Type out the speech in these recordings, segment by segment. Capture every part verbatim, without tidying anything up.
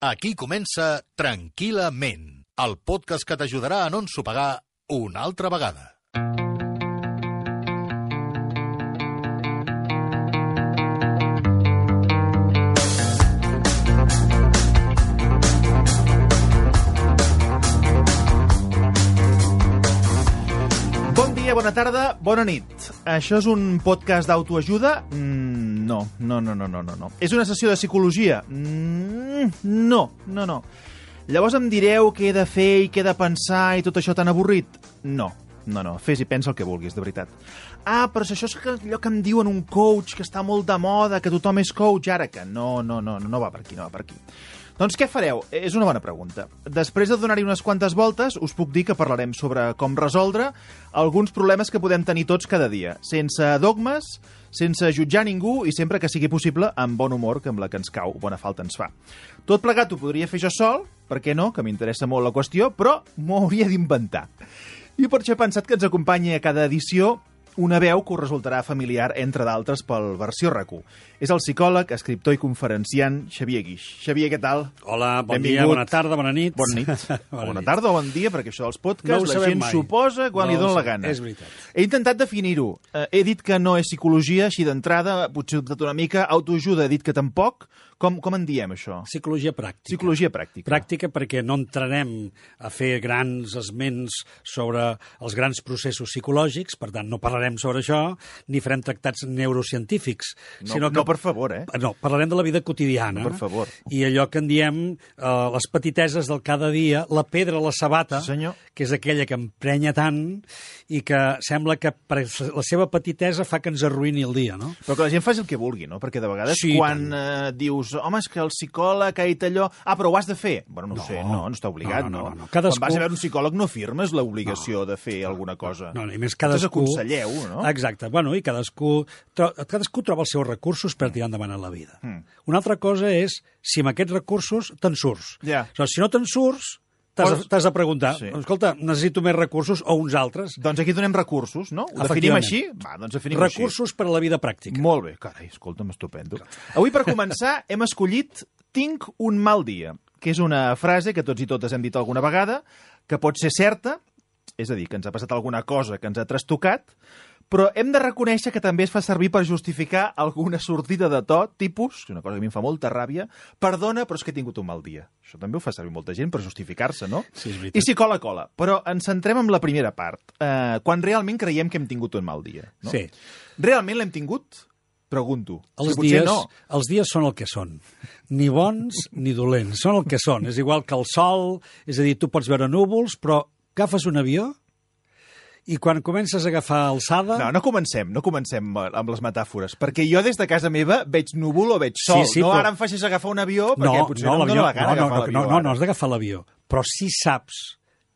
Aquí comença Tranquil·lament, el podcast que t'ajudarà a no ensopegar una altra vegada. Bon dia, bona tarda, bona nit. Això és un podcast d'autoajuda? Mm, no, no, no, no, no, no. És una sessió de psicologia? Mm, no, no, no. Llavors em direu què he de fer i què he de pensar i tot això tan avorrit? No, no, no, fes i pensa el que vulguis, de veritat. Ah, però si això és allò que em diuen un coach, que està molt de moda, que tothom és coach, ara que no, no, no, no va per aquí, no va per aquí. Doncs què fareu? És una bona pregunta. Després de donar-hi unes quantes voltes, us puc dir que parlarem sobre com resoldre alguns problemes que podem tenir tots cada dia, sense dogmes, sense jutjar ningú i sempre que sigui possible amb bon humor, que amb la que ens cau bona falta ens fa. Tot plegat ho podria fer jo sol, per què no, que m'interessa molt la qüestió, però m'ho hauria d'inventar. I per això he pensat que ens acompanyi a cada edició una veu que us resultarà familiar, entre d'altres, pel Versió R A C U. És el psicòleg, escriptor i conferenciant Xavier Guix. Xavier, què tal? Hola, bon Benvingut. dia, bona tarda, bona nit. Bona nit. bona bona nit. tarda o bon dia, perquè això dels podcasts no la gent mai. suposa quan no li dóna la sé. gana. És veritat. He intentat definir-ho. Eh, he dit que no és psicologia, així d'entrada, potser he dubtat una mica. Autoajuda, he dit que tampoc. Com, com en diem, això? Psicologia pràctica. Psicologia pràctica. Pràctica perquè no entrarem a fer grans esments sobre els grans processos psicològics, per tant, no parlarem sobre això, ni farem tractats neurocientífics. No, sinó que, no, per favor, eh? No, parlarem de la vida quotidiana. No, per favor. I allò que en diem eh, les petiteses del cada dia, la pedra a la sabata, Sí, senyor. que és aquella que emprenya tant i que sembla que per la seva petitesa fa que ens arruïni el dia, no? Però que la gent faci el que vulgui, no? Perquè de vegades Sí, quan eh, dius, home, és que el psicòleg ha dit allò... Ah, però ho has de fer. Bueno, no, no No. sé, no, no està obligat, No, no? no, no, no. Cadascú- Quan vas a veure un psicòleg no firmes l'obligació de fer alguna cosa. No, no, i més Vosaltres cadascú... aconselleu, no? Exacte. Bueno, i cadascú, tro... cadascú troba els seus recursos per tirar endavant en la vida. Mm. Una altra cosa és si amb aquests recursos te'n surts. Ja. O sigui, si no te'n surts, t'has Pots- de, t'has de preguntar, Sí. escolta, necessito més recursos o uns altres. Doncs aquí donem recursos, no? Ho definim així? Va, doncs definim Recursos per a la vida pràctica. així. Molt bé. Carai, escolta'm, estupendo. Avui, per començar, hem escollit «Tinc un mal dia», que és una frase que tots i totes hem dit alguna vegada, que pot ser certa, és a dir, que ens ha passat alguna cosa que ens ha trastocat, però hem de reconèixer que també es fa servir per justificar alguna sortida de to, tipus, una cosa que a mi em fa molta ràbia, perdona, però és que he tingut un mal dia. Això també ho fa servir molta gent per justificar-se, no? Sí, és veritat. I si cola, cola. Però ens centrem en la primera part, eh, quan realment creiem que hem tingut un mal dia. No? Sí. Realment l'hem tingut? Pregunto. Els Si potser dies, no. els dies són el que són. Ni bons ni dolents. Són el que són. És igual que el sol, és a dir, tu pots veure núvols, però agafes un avió i quan comences a agafar alçada... No, no comencem, no comencem amb les metàfores, perquè jo des de casa meva veig núvol o veig sol. Sí, sí, no però- ara em facis agafar un avió, perquè potser no, no em l'avió- dóna la gana no, no, agafar no, l'avió. no, no, ara. no has d'agafar l'avió, però sí saps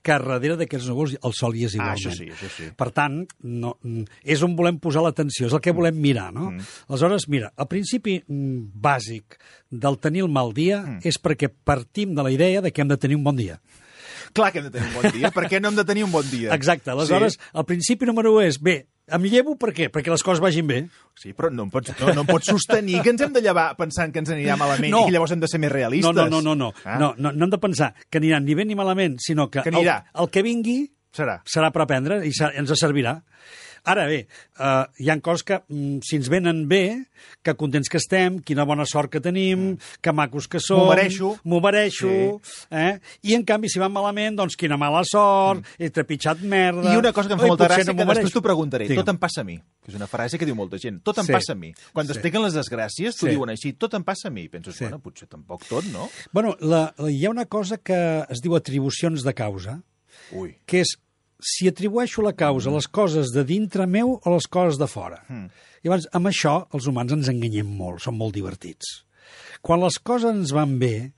que darrere d'aquests núvols el sol hi és Ah, igualment. això sí, això sí. Per tant, no, és on volem posar l'atenció, és el que volem mirar, no? Mm. Aleshores, mira, el principi mm, bàsic del tenir el mal dia mm. és perquè partim de la idea de que hem de tenir un bon dia. Clar que hem de tenir un bon dia. Per què no hem de tenir un bon dia? Exacte, aleshores, Sí, el principi número un és, bé, em llevo per què? Perquè les coses vagin bé. sí però no em, pots, no, no em pots sostenir que ens hem de llevar pensant que ens anirà malament No. i que llavors hem de ser més realistes. No, no, no, no, no. Ah. no, no, no hem de pensar que aniran ni bé ni malament, sinó que, Que el, anirà. el que vingui Serà. serà per aprendre i serà, ens servirà. Ara bé, eh, hi ha coses que, mm, si ens venen bé, que contents que estem, quina bona sort que tenim, que macos que som... M'ho mereixo. M'ho mereixo. Eh? I, en canvi, si van malament, doncs quina mala sort, mm. he trepitjat merda... I una cosa que em fa Oi, molta potser gràcia, no que m'ho després mereixo. t'ho preguntaré. Digue'm. Tot em passa a mi. Que és una frase que diu molta gent. Tot em Sí. passa a mi. Quan Sí. t'expliquen les desgràcies, t'ho Sí. diuen així. Tot em passa a mi. I penses, Sí. bueno, potser tampoc tot, no? Bueno, la, la, hi ha una cosa que es diu atribucions de causa, Ui. que és si atribueixo la causa a les coses de dintre meu o a les coses de fora. Mm. I llavors, amb això, els humans ens enganyem molt, som molt divertits. Quan les coses ens van bé,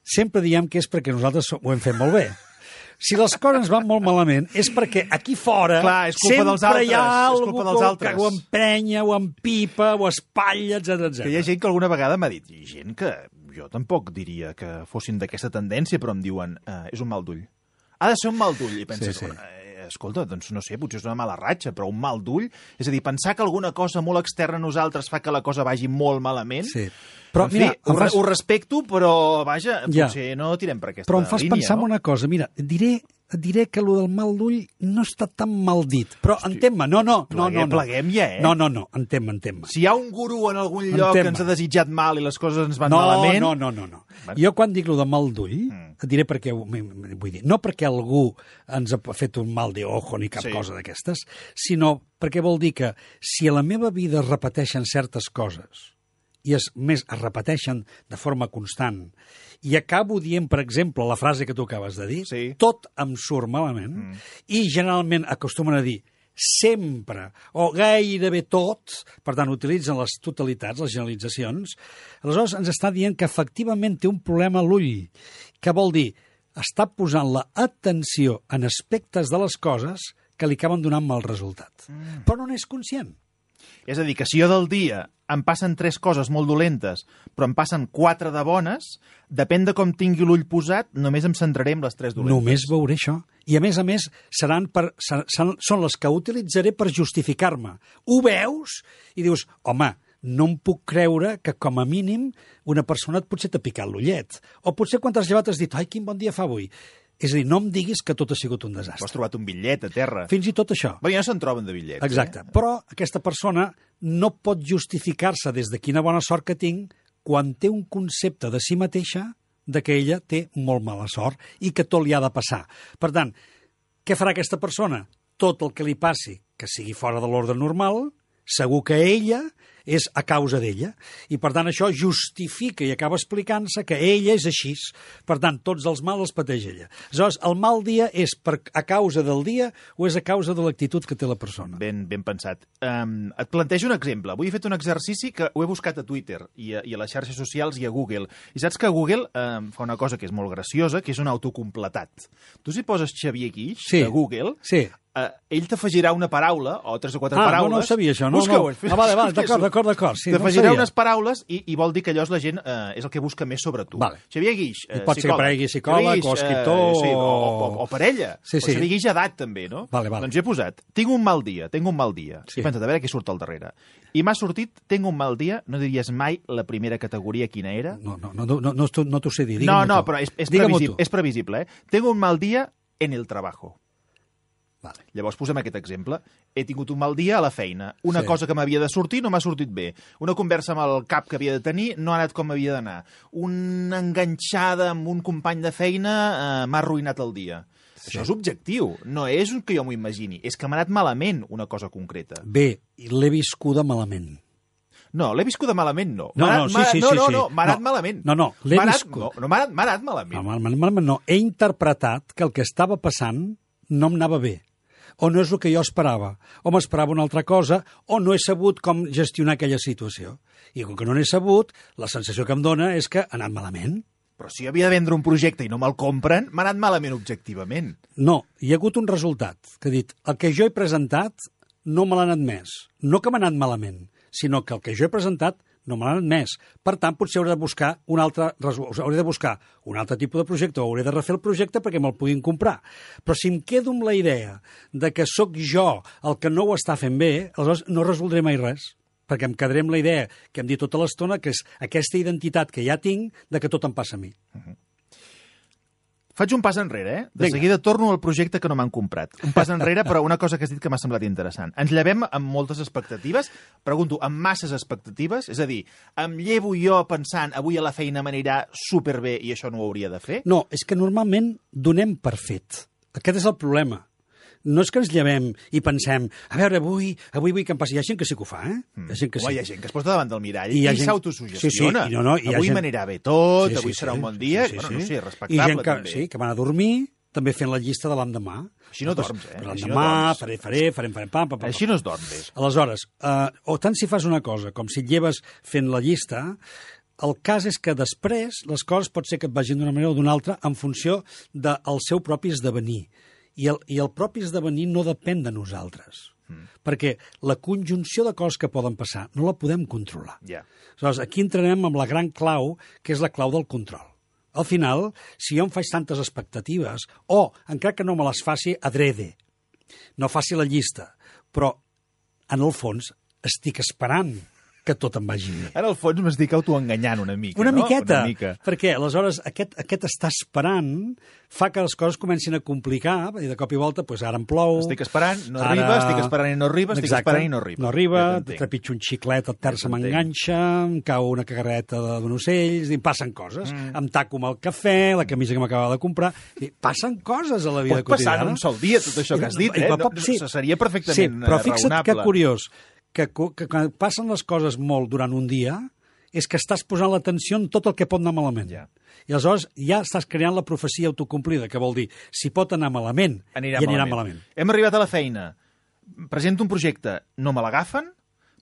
sempre diem que és perquè nosaltres ho hem fet molt bé. Si les coses ens van molt malament, és perquè aquí fora Clar, és culpa sempre dels altres, hi ha és algú culpa dels que, altres. que ho emprenya, ho empipa, ho espatlla, etcètera, Que hi ha etcètera. gent que alguna vegada m'ha dit, i gent que jo tampoc diria que fossin d'aquesta tendència, però em diuen, eh, és un mal d'ull. Ha de ser un mal d'ull. I penses, Sí, sí. eh, escolta, doncs no sé, potser és una mala ratxa, però un mal d'ull, és a dir, pensar que alguna cosa molt externa a nosaltres fa que la cosa vagi molt malament, Sí. Però, en fi, mira, ho, em fas- ho respecto, però, vaja, Ja. potser no tirem per aquesta Però em fas línia, pensar no? en una cosa. Mira, et diré, et diré que allò del mal d'ull no està tan mal dit. Però entén-me, no, no, no, no, Pleguem, no. pleguem ja, eh? No, no, no, entén-me, entén-me. Si hi ha un gurú en algun lloc Entén-me. que ens ha desitjat mal i les coses ens van No, malament... no, no, no, no. Bueno. Jo quan dic lo de mal d'ull, Mm. et diré perquè, ho- m- m- vull dir, no perquè algú ens ha fet un mal de ojo ni cap Sí. cosa d'aquestes, sinó perquè vol dir que si a la meva vida es repeteixen certes coses i es, més es repeteixen de forma constant i acabo dient, per exemple, la frase que tu acabes de dir, Sí. tot em surt malament, mm. i generalment acostumen a dir sempre, o gairebé tot, per tant, utilitzen les totalitats, les generalitzacions, aleshores ens està dient que efectivament té un problema a l'ull, que vol dir, està posant la atenció en aspectes de les coses que li acaben donant mal resultat. Mm. Però no n'és conscient. És a dir, que si jo del dia em passen tres coses molt dolentes, però em passen quatre de bones, depèn de com tingui l'ull posat, només em centraré en les tres dolentes. Només veuré això. I a més a més, seran per, seran, són les que utilitzaré per justificar-me. Ho veus? I dius, home, no em puc creure que, com a mínim, una persona et potser t'ha picat l'ullet. O potser quan t'has llevat has dit, ai, quin bon dia fa avui. És a dir, no em diguis que tot ha sigut un Has desastre. trobat un bitllet a terra. Fins i tot això. Bé, ja no se'n troben de bitllets. Exacte. Eh? Però aquesta persona no pot justificar-se des de quina bona sort que tinc quan té un concepte de si mateixa de que ella té molt mala sort i que tot li ha de passar. Per tant, què farà aquesta persona? Tot el que li passi, que sigui fora de l'ordre normal, segur que ella és a causa d'ella. I, per tant, això justifica i acaba explicant-se que ella és així. Per tant, tots els mals els pateix ella. Aleshores, el mal dia és per, a causa del dia o és a causa de l'actitud que té la persona? Ben, ben pensat. Um, et plantejo un exemple. Avui he fet un exercici que ho he buscat a Twitter i a, i a les xarxes socials i a Google. I saps que Google um, fa una cosa que és molt graciosa, que és un autocompletat. Tu si poses Xavier Guix Sí. a Google... Sí. Uh, ell t'afegirà una paraula, o tres o quatre Ah, paraules... no, no ho sabia, això. No, Busca-ho. no. Ah, vale, vale, d'acord, d'acord, d'acord. Sí, no ho t'afegirà sabia. unes paraules i, i vol dir que allò és la gent, uh, és el que busca més sobre tu. Vale. Xavier Guix, I uh, pot ser que aparegui psicòleg, o escriptor, uh, sí, o, o- o, o parella. Sí, sí. O Xavier Guix edat, també, no? Vale, vale. Doncs jo he posat, tinc un mal dia, tinc un mal dia. Sí. I pensa't, a veure què surt al darrere. I m'ha sortit, tinc un mal dia, no diries mai la primera categoria quina era? No, no, no, no, no, t'ho- no t'ho sé dir. No, Digue-m'ho no, tu. però és, és, Digue-m'ho previsible, tu. és previsible, eh? Tengo un mal dia en el trabajo. Vale. Llavors posem aquest exemple. He tingut un mal dia a la feina. Una Sí. cosa que m'havia de sortir no m'ha sortit bé. Una conversa amb el cap que havia de tenir no ha anat com havia d'anar. Una enganxada amb un company de feina eh, m'ha arruïnat el dia. Sí. Això és objectiu. No és que jo m'ho imagini. És que m'ha anat malament una cosa concreta. Bé, i l'he viscuda malament. No, l'he viscuda malament, no. No, M'ha no, anat- sí, m'ha- sí, no, sí, no, sí. no, m'ha anat No. malament. No, no, l'he M'ha anat- viscut. No, no m'ha anat, m'ha anat malament. No, malament, malament no. He interpretat que el que estava passant no em anava bé. O no és el que jo esperava, o m'esperava una altra cosa, o no he sabut com gestionar aquella situació. I com que no n'he sabut, la sensació que em dona és que ha anat malament. Però si havia de vendre un projecte i no me'l compren, m'ha anat malament objectivament. No, hi ha hagut un resultat, que ha dit, el que jo he presentat no me l'ha anat més. No que m'ha anat malament, sinó que el que jo he presentat no me l'ha anat més. Per tant, potser hauré de buscar un altre, resol- hauré de buscar un altre tipus de projecte, o hauré de refer el projecte perquè me'l puguin comprar. Però si em quedo amb la idea de que sóc jo el que no ho està fent bé, aleshores no resoldré mai res, perquè em quedaré amb la idea que hem dit tota l'estona, que és aquesta identitat que ja tinc de que tot em passa a mi. Faig un pas enrere, eh? De Vinga. seguida torno al projecte que no m'han comprat. Un pas enrere, però una cosa que has dit que m'ha semblat interessant. Ens llevem amb moltes expectatives, pregunto, amb masses expectatives? És a dir, em llevo jo pensant avui a la feina m'anirà superbé i això no ho hauria de fer? No, és que normalment donem per fet. Aquest és el problema. No és que ens llevem i pensem, a veure, avui, avui vull que em passi. Hi ha gent que sí que ho fa, eh? Hi ha gent que Home, sí. hi ha gent que es posa davant del mirall I i, hi ha i gent- s'autosugestiona. Sí, sí, i no, no, i hi ha avui gent- m'anirà bé tot, Sí, sí, avui sí. serà un bon dia. Sí, sí, bueno, sí. no sé, I respectable gent que, també. sí, que van a dormir també fent la llista de l'endemà. Així no Doncs, dorms, eh? per Així no L'endemà, dorms. faré, faré, farem, farem, pam, pam, pam. Així no es dorm bé. Aleshores, eh, o tant si fas una cosa com si et lleves fent la llista, el cas és que després les coses pot ser que et vagin d'una manera o d'una altra en funció del seu propi esdevenir. I el, I el propi esdevenir no depèn de nosaltres. Mm. Perquè la conjunció de coses que poden passar no la podem controlar. Ja. Aleshores, aquí entrarem amb la gran clau, que és la clau del control. Al final, si jo em faig tantes expectatives, o, encara que no me les faci adrede, no faci la llista, però en el fons estic esperant que tot em vagi bé. En el fons m'estic autoenganyant una mica, Una no? miqueta, Una mica. perquè aleshores aquest, aquest estar esperant fa que les coses comencin a complicar, i de cop i volta, doncs ara em plou... Estic esperant, no ara... arriba, estic esperant i no arriba, estic Exacte. esperant i no arriba. No arriba, Ja t'entenc. trepitjo un xiclet, el terç Ja se m'enganxa, em cau una cagareta d'un ocell, i passen coses. Mm. Em taco amb el cafè, la camisa que m'acabava de comprar... I passen coses a la vida Pot passar quotidiana. en un sol dia, tot això que has dit, I, eh? i, No, sí, no, seria perfectament sí, però fixa't raonable. que curiós, que, que quan passen les coses molt durant un dia, és que estàs posant l'atenció en tot el que pot anar malament. Ja. I aleshores ja estàs creant la profecia autocomplida, que vol dir, si pot anar malament, Anirà i anirà malament. malament. Hem arribat a la feina. Presento un projecte, no me l'agafen?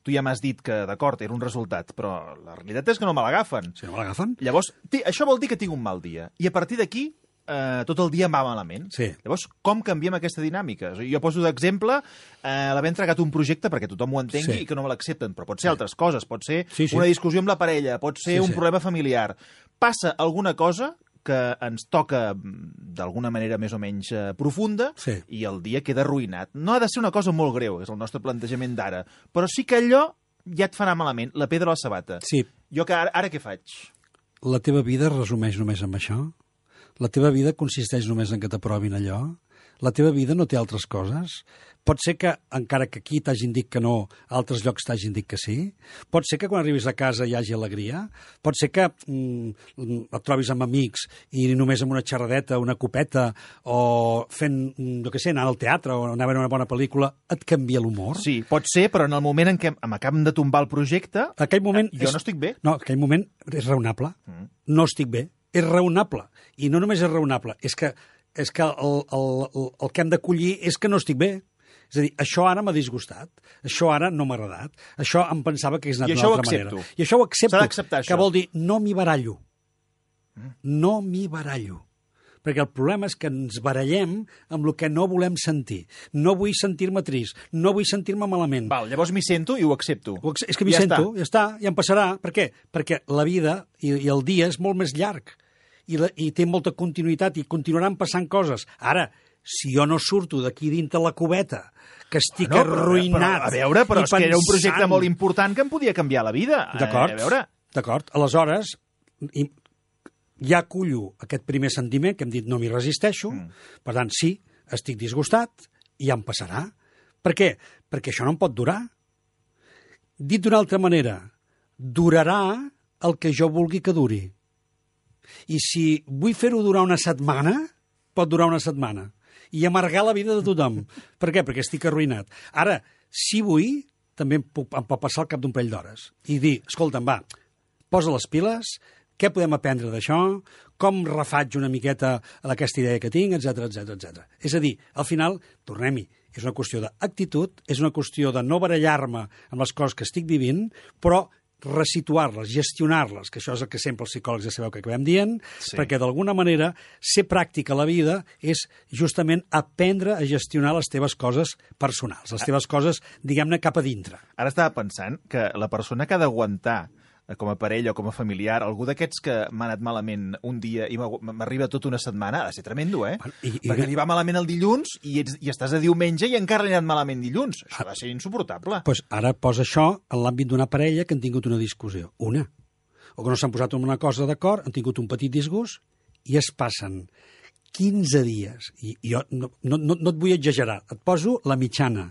Tu ja m'has dit que, d'acord, era un resultat, però la realitat és que no me l'agafen. Si no me l'agafen... Llavors, té, això vol dir que tinc un mal dia. I a partir d'aquí, eh, tot el dia em va malament. Sí. Llavors, com canviem aquesta dinàmica? O sigui, jo poso d'exemple eh, l'haver entregat un projecte perquè tothom ho entengui Sí. i que no me l'accepten, però pot ser altres coses, pot ser Sí, sí. una discussió amb la parella, pot ser Sí, un sí. problema familiar. Passa alguna cosa que ens toca mm, d'alguna manera més o menys eh, profunda Sí. i el dia queda arruïnat. No ha de ser una cosa molt greu, és el nostre plantejament d'ara, però sí que allò ja et fa anar malament, la pedra a la sabata. Sí, Jo que ara, ara què faig? la teva vida es resumeix només amb això? La teva vida consisteix només en que t'aprovin allò? La teva vida no té altres coses? Pot ser que, encara que aquí t'hagin dit que no, a altres llocs t'hagin dit que sí? Pot ser que quan arribis a casa hi hagi alegria? Pot ser que mm, et trobis amb amics i només amb una xerradeta, una copeta, o fent, mm, jo què sé, anar al teatre o anar a veure una bona pel·lícula, et canvia l'humor? Sí, pot ser, però en el moment en què m'acaben de tombar el projecte, Aquell moment jo és... no estic bé. No, aquell moment és raonable. Mm. No estic bé. És raonable. I no només és raonable, és que, és que el, el, el, el que hem d'acollir és que no estic bé. És a dir, això ara m'ha disgustat, això ara no m'ha agradat, això em pensava que hagués anat I d'una això ho altra accepto. manera. I això ho accepto. S'ha d'acceptar, que això. vol dir, no m'hi barallo. Mm. No m'hi barallo. Perquè el problema és que ens barallem amb el que no volem sentir. No vull sentir-me trist, no vull sentir-me malament. Val, llavors m'hi sento i ho accepto. Ho ac- És que m'hi Ja sento, està. ja està, ja em passarà. Per què? Perquè la vida i, i el dia és molt més llarg i, la, i té molta continuïtat i continuaran passant coses. Ara, si jo no surto d'aquí dintre la cubeta, que estic No, però, arruïnat... Però, a veure, però i és que era un projecte pensant- molt important que em podia canviar la vida. D'acord, Eh, a veure, d'acord. Aleshores, i- ja acullo aquest primer sentiment que hem dit no m'hi resisteixo, mm. per tant, sí, estic disgustat i ja em passarà. Per què? Perquè això no em pot durar. Dit d'una altra manera, durarà el que jo vulgui que duri. I si vull fer-ho durar una setmana, pot durar una setmana. I amargar la vida de tothom. Per què? Perquè estic arruïnat. Ara, si vull, també em, puc, em pot passar al cap d'un parell d'hores. I dir, escolta'm, va, posa les piles, què podem aprendre d'això, com refaig una miqueta d'aquesta idea que tinc, etc etc etc. És a dir, al final, tornem-hi, és una qüestió d'actitud, és una qüestió de no barallar-me amb les coses que estic vivint, però resituar-les, gestionar-les, que això és el que sempre els psicòlegs ja sabeu que acabem dient, Sí. perquè d'alguna manera ser pràctic a la vida és justament aprendre a gestionar les teves coses personals, les teves coses, diguem-ne, cap a dintre. ara estava pensant que la persona que ha d'aguantar eh, com a parella o com a familiar, algú d'aquests que m'ha anat malament un dia i m'agu- m'arriba tota una setmana, ha de ser tremendo, eh? Bueno, i- i- Perquè li va malament el dilluns i, ets, i estàs a diumenge i encara li ha anat malament dilluns. Això ha de ser insuportable. Pues ara posa això en l'àmbit d'una parella que han tingut una discussió. Una. O que no s'han posat en una cosa d'acord, han tingut un petit disgust i es passen quinze dies. I jo no, no, no, no et vull exagerar. Et poso la mitjana.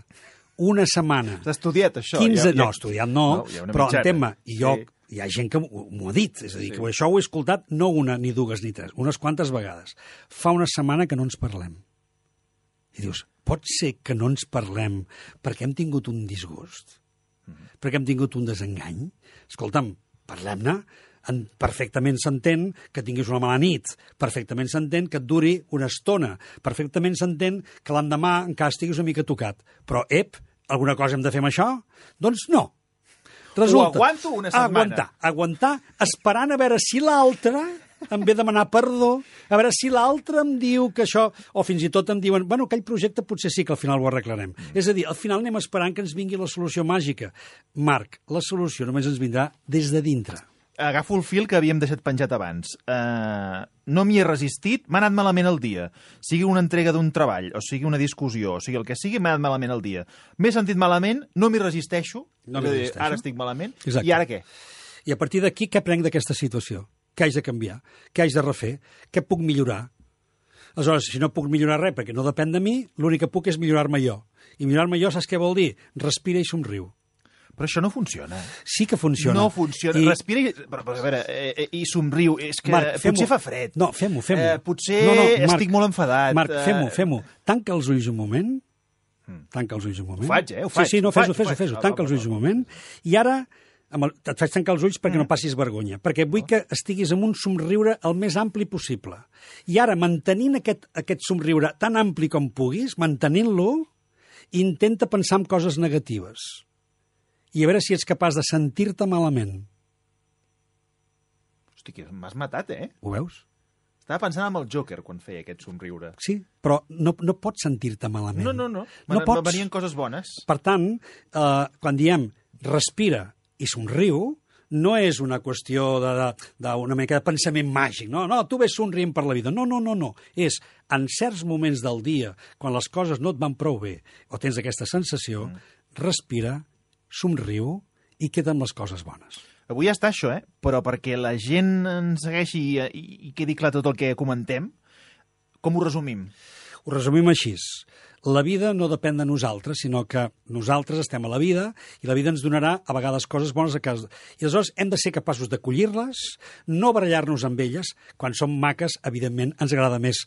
Una setmana. T'has estudiat, això? quinze... Ja- ja- No, estudiat no, No, hi ha una però mitjana. entén-me, i jo, Sí. hi ha gent que m'ho m'ho ha dit, és a dir, Sí. que això ho he escoltat no una, ni dues, ni tres, unes quantes vegades. Fa una setmana que no ens parlem. I dius, pot ser que no ens parlem perquè hem tingut un disgust? Perquè hem tingut un desengany? Escolta'm, parlem-ne. En, perfectament s'entén que tinguis una mala nit, perfectament s'entén que et duri una estona, perfectament s'entén que l'endemà encara estiguis una mica tocat. Però, ep, alguna cosa hem de fer amb això? Doncs no. Ho aguanto una setmana. Aguantar, aguantar, esperant a veure si l'altre em ve demanar perdó, a veure si l'altre em diu que això, o fins i tot em diuen, bueno, aquell projecte potser sí que al final ho arreglarem. Mm. És a dir, al final anem esperant que ens vingui la solució màgica. Marc, la solució només ens vindrà des de dintre. agafo el fil que havíem deixat penjat abans. Uh, no m'hi he resistit, m'ha anat malament el dia. Sigui una entrega d'un treball, o sigui una discussió, o sigui el que sigui, m'ha anat malament el dia. M'he sentit malament, no m'hi resisteixo, no m'hi resisteixo. Ara estic malament, Exacte. I ara què? I a partir d'aquí, què prenc d'aquesta situació? Què haig de canviar? Què haig de refer? Què puc millorar? Aleshores, si no puc millorar res perquè no depèn de mi, l'únic que puc és millorar-me jo. I millorar-me jo, saps què vol dir? Respira i somriu. Però això no funciona. Sí que funciona. No funciona. I... Respira i... Però, però, a veure, eh, i somriu. És que Marc, potser fa fred. No, fem-ho, fem-ho. Eh, potser no, no, Marc, estic molt enfadat. Marc, fem-ho, fem-ho. Tanca els ulls un moment. Tanca els ulls un moment. Ho faig, eh? Ho faig. Sí, sí, no, fes-ho, fes-ho. fes-ho. Tanca els ulls un moment. I ara amb el, et faig tancar els ulls perquè mm. no passis vergonya, perquè vull que estiguis amb un somriure el més ampli possible. I ara, mantenint aquest, aquest somriure tan ampli com puguis, mantenint-lo, intenta pensar en coses negatives. I a veure si ets capaç de sentir-te malament. Hosti, m'has matat, eh? Ho veus? Estava pensant en el Joker quan feia aquest somriure. Sí, però no, no pots sentir-te malament. No, no, no. no Me, pots... venien coses bones. Per tant, eh, quan diem respira i somriu, no és una qüestió d'una mica de pensament màgic. No, no, tu ves somrient per la vida. No, no, no, no. És en certs moments del dia, quan les coses no et van prou bé, o tens aquesta sensació, mm. respira, somriu i queda amb les coses bones. Avui ja està això, eh? Però perquè la gent ens segueixi i, i, i quedi clar tot el que comentem, com ho resumim? Ho resumim així. La vida no depèn de nosaltres, sinó que nosaltres estem a la vida i la vida ens donarà a vegades coses bones a casa. I aleshores hem de ser capaços d'acollir-les, no barallar-nos amb elles. Quan són maques, evidentment, ens agrada més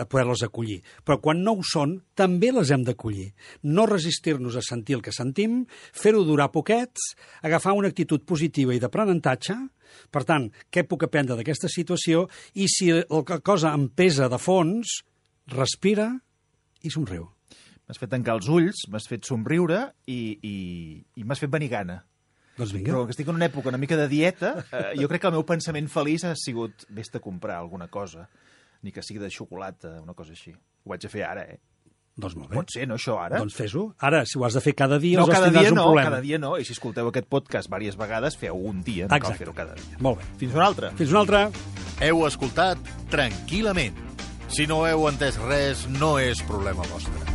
poder-les acollir. Però quan no ho són, també les hem d'acollir. No resistir-nos a sentir el que sentim, fer-ho durar poquets, agafar una actitud positiva i d'aprenentatge. Per tant, què puc aprendre d'aquesta situació? I si la cosa em pesa de fons, respira i somriu. M'has fet tancar els ulls, m'has fet somriure i, i, i m'has fet venir gana. Doncs vinga. Però que estic en una època una mica de dieta, eh, jo crec que el meu pensament feliç ha sigut vés-te a comprar alguna cosa, ni que sigui de xocolata, una cosa així. Ho vaig a fer ara, eh? Doncs molt bé. Pot ser, no, això, ara? Doncs fes-ho. Ara, si ho has de fer cada dia, no, aleshores cada tindràs dia un no, problema. cada dia no, i si escolteu aquest podcast diverses vegades, feu un dia, no Exacte. Cal fer-ho cada dia. Molt bé. Fins una altra. Fins una altra. Heu escoltat Tranquil·lament. Si no heu entès res, no és problema vostre.